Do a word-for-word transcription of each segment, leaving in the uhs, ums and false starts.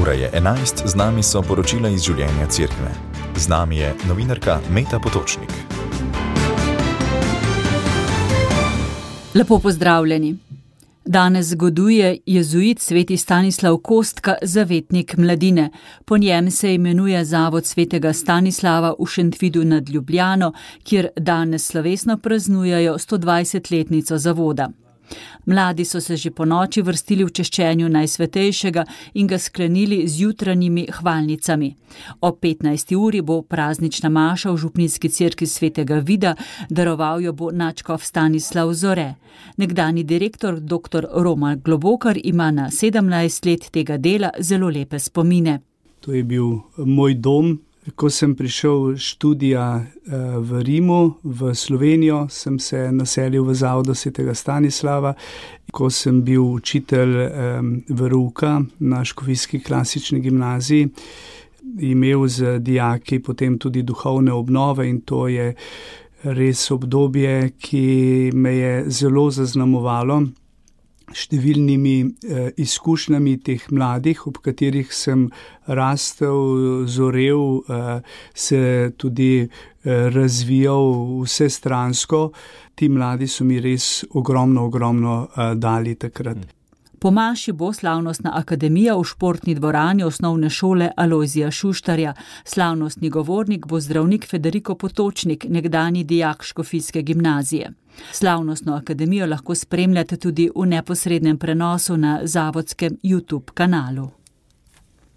Ura je enajst, z nami so poročila iz življenja cerkve. Z nami je novinarka Meta Potočnik. Lepo pozdravljeni. Danes zgoduje jezuit sveti Stanislav Kostka, zavetnik mladine. Po njem se imenuje zavod svetega Stanislava v Šentvidu nad Ljubljano, kjer danes slovesno praznujejo sto dvajsetletnico zavoda. Mladi so se že po noči vrstili v češčenju Najsvetejšega in ga sklenili z jutranjimi hvalnicami. Ob petnajsti uri bo praznična maša v župnijski cerkvi svetega Vida, daroval jo bo nadškof Stanislav Zore. Nekdanji direktor dr. Roman Globokar ima na sedemnajst let tega dela zelo lepe spomine. To je bil moj dom. Ko sem prišel študija v Rimu, v Slovenijo, sem se naselil v zavodu svetega Stanislava. Ko sem bil učitelj verouka na škofijski klasični gimnaziji, imel z dijaki potem tudi duhovne obnove in to je res obdobje, ki me je zelo zaznamovalo številnimi eh, izkušnjami teh mladih, ob katerih sem rastel, zorel, eh, se tudi eh, razvijal vsestransko. Ti mladi so mi res ogromno, ogromno eh, dali takrat. Po maši bo slavnostna akademija v športni dvorani osnovne šole Alojzija Šuštarja. Slavnostni govornik bo zdravnik Federico Potočnik, nekdanji dijak škofijske gimnazije. Slavnostno akademijo lahko spremljate tudi v neposrednem prenosu na zavodskem YouTube kanalu.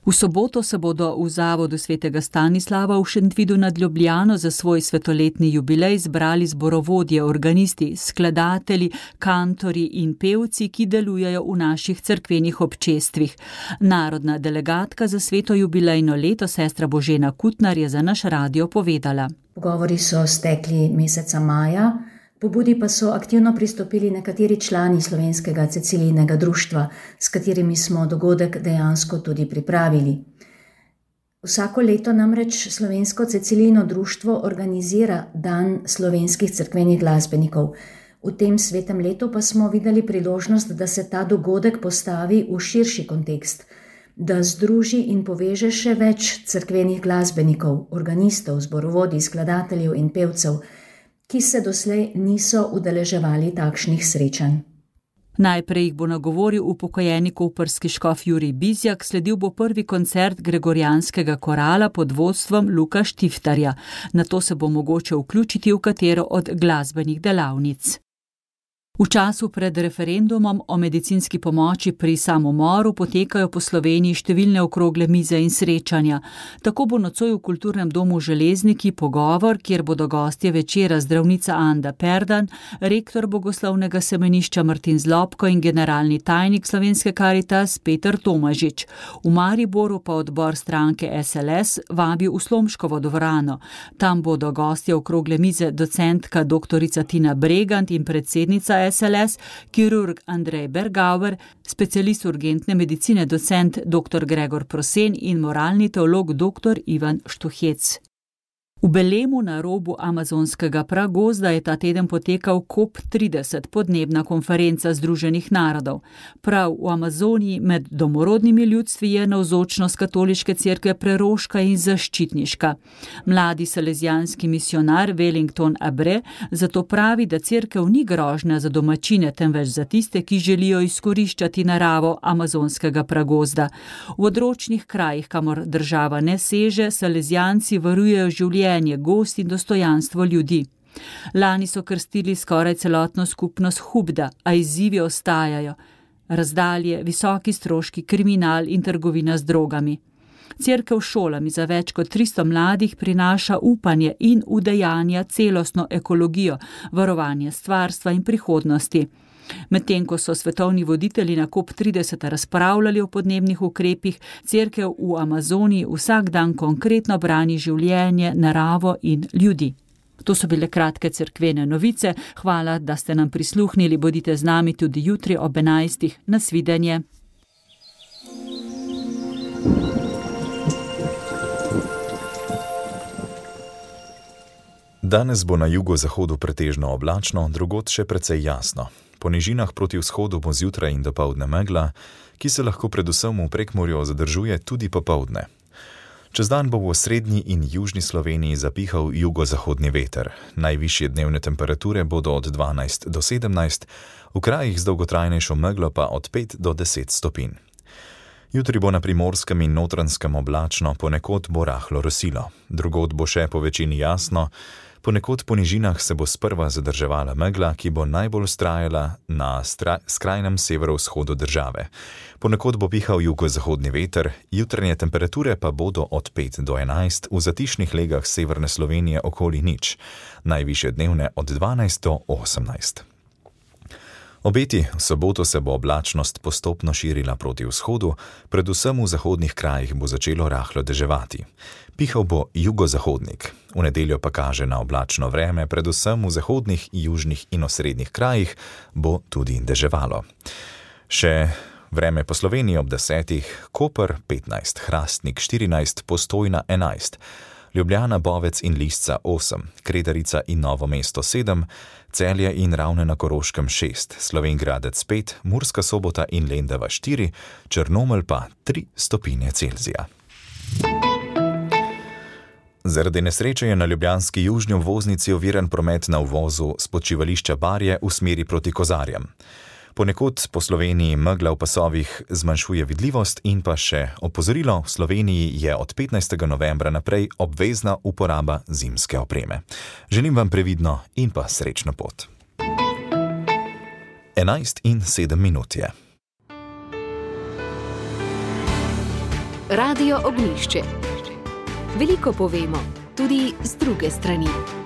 V soboto se bodo v zavodu svetega Stanislava v Šentvidu nad Ljubljano za svoj svetoletni jubilej zbrali zborovodje, organisti, skladatelji, kantorji in pevci, ki delujejo v naših cerkvenih občestvih. Narodna delegatka za sveto jubilejno leto, sestra Božena Kutnar, je za naš radio povedala. Pogovori so stekli meseca maja. Pobudi pa so aktivno pristopili nekateri člani Slovenskega Cecilijinega društva, s katerimi smo dogodek dejansko tudi pripravili. Vsako leto namreč Slovensko Cecilijino društvo organizira Dan slovenskih cerkvenih glasbenikov. V tem svetem letu pa smo videli priložnost, da se ta dogodek postavi v širši kontekst, da združi in poveže še več cerkvenih glasbenikov, organistov, zborovodij, skladateljev in pevcev, ki se doslej niso udeleževali takšnih srečanj. Najprej jih bo nagovoril upokojeni koprski škof Jurij Bizjak, sledil bo prvi koncert gregorijanskega korala pod vodstvom Luka Štiftarja. Nato se bo mogoče vključiti v katero od glasbenih delavnic. V času pred referendumom o medicinski pomoči pri samomoru potekajo po Sloveniji številne okrogle mize in srečanja. Tako bo nocoj v kulturnem domu Železniki pogovor, kjer bodo gostje večera zdravnica Anda Perdan, rektor bogoslovnega semenišča Martin Zlobko in generalni tajnik Slovenske Karitas Peter Tomažič. V Mariboru pa odbor stranke S L S vabi v Slomškovo dvorano. Tam bodo gostje okrogle mize docentka doktorica Tina Bregant in predsednica S L S, kirurg Andrej Bergauer, specialist urgentne medicine docent doktor Gregor Prosen in moralni teolog doktor Ivan Štuhec. V Belemu na robu amazonskega pragozda je ta teden potekal COP trideset, podnebna konferenca Združenih narodov. Prav v Amazoniji med domorodnimi ljudstvi je navzočnost katoliške cerkve preroška in zaščitniška. Mladi salezijanski misionar Wellington Abre zato pravi, da cerkev ni grožnja za domačine, temveč za tiste, ki želijo izkoriščati naravo amazonskega pragozda. V odročnih krajih, kamor država ne seže, salezijanci varujejo življenje, gost in dostojanstvo ljudi. Lani so krstili skoraj celotno skupnost Hubda, a izzivi ostajajo. Razdalje, visoki stroški, kriminal in trgovina z drogami. Cerkev šolami za več kot tristo mladih prinaša upanje in udejanja celostno ekologijo, varovanje stvarstva in prihodnosti. Medtem ko so svetovni voditelji na COP trideset razpravljali o podnebnih ukrepih, cerkev v Amazoniji vsak dan konkretno brani življenje, naravo in ljudi. To so bile kratke cerkvene novice. Hvala, da ste nam prisluhnili. Bodite z nami tudi jutri ob enajstih. Nasvidenje. Danes bo na jugozahodu pretežno oblačno, drugod še precej jasno. Po nižinah proti vzhodu bo zjutraj in dopoldne megla, ki se lahko predvsem v Prekmurju zadržuje tudi popoldne. Čez dan bo v srednji in južni Sloveniji zapihal jugozahodni veter. Najvišje dnevne temperature bodo od dvanajst do sedemnajst, v krajih z dolgotrajnejšo meglo pa od pet do deset stopinj. Jutri bo na Primorskem in Notranjskem oblačno, ponekod bo rahlo rosilo. Drugod bo še po večini jasno, ponekod po nižinah se bo sprva zadrževala megla, ki bo najbolj vztrajala na stra- skrajnem severovzhodu države. Ponekod bo pihal jugozahodni veter, jutranje temperature pa bodo od pet do enajst, v zatišnih legah severne Slovenije okoli nič, najvišje dnevne od dvanajst do osemnajst. Obeti, v soboto se bo oblačnost postopno širila proti vzhodu, predvsem v zahodnih krajih bo začelo rahlo deževati. Pihal bo jugozahodnik, v nedeljo pa kaže na oblačno vreme, predvsem v zahodnih, južnih in osrednjih krajih bo tudi deževalo. Še vreme po Sloveniji ob desetih, Koper petnajst, Hrastnik štirinajst, Postojna enajst, Ljubljana, Bovec in Lisca osem, Kredarica in Novo mesto sedem, Celje in Ravne na Koroškem šest, Slovenj Gradec pet, Murska Sobota in Lendava štiri, Črnomelj pa tri stopinje Celzija. Zaradi nesreče je na ljubljanski južni obvoznici oviran promet na uvozu s počivališča Barje v smeri proti Kozarjem. Ponekod po Sloveniji megla v pasovih zmanjšuje vidljivost in pa še opozorilo, v Sloveniji je od petnajstega novembra naprej obvezna uporaba zimske opreme. Želim vam previdno in pa srečno pot. enajst in sedem minut je. Radio Ognjišče. Veliko povemo, tudi z druge strani.